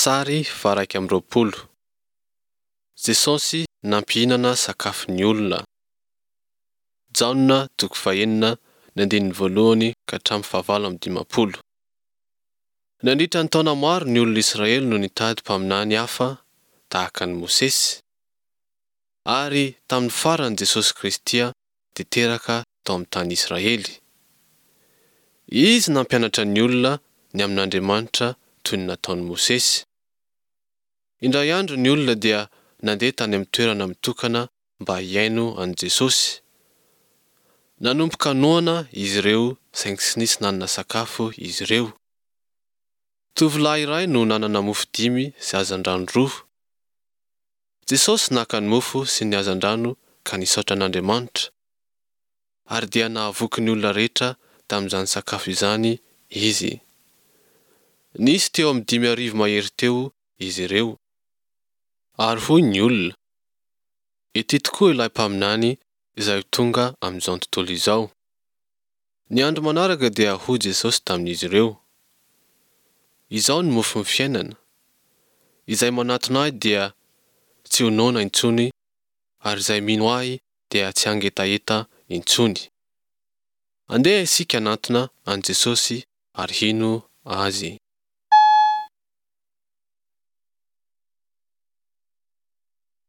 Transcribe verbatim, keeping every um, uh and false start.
Sary faha-iraika amby roapolo: Jesosy nampihinana sakafo ny olona. Jaona toko fahenina ny andininy voalohany ka hatramin'ny fahavalo amby dimampolo. Nandritra ny taona maro ny olona Israely no nitady mpaminany hafa tahaka an'i Mosesy. Ary tamin'ny farany Jesosy Kristy dia teraka tao amin'ny tany Israely. Izy nampianatra ny olona ny amin'Andriamanitra toy ny nataon'i Mosesy. Indray andro ny olona dia nandeha tany amin'ny toerana mitokana mba hihaino an'i Jesosy. Nanomboka noana izy ireo saingy tsy nisy nanana sakafo izy ireo. Tovolahy iray no nanana mofo dimy sy hazandrano roa. Jesosy naka ny mofo sy ny hazandrano ka nisaotra an'Andriamanitra. Ary dia nahavoky ny olona rehetra tamin'izany sakafo izany Izy. Nisy teo amin'ny dimy arivo mahery teo izy ireo. Ary hoy ny olona, Ity tokoa ilay mpaminany izay ho tonga amin'izao tontolo izao. Ny andro manaraka dia hoy Jesosy tamin'izy ireo, Izao no mofon'ny fiainana. Izay manatona Ahy dia tsy ho noana intsony ary izay mino Ahy dia tsy hangetaheta intsony. Andeha isika hanatona an'i Jesosy ary hino Azy.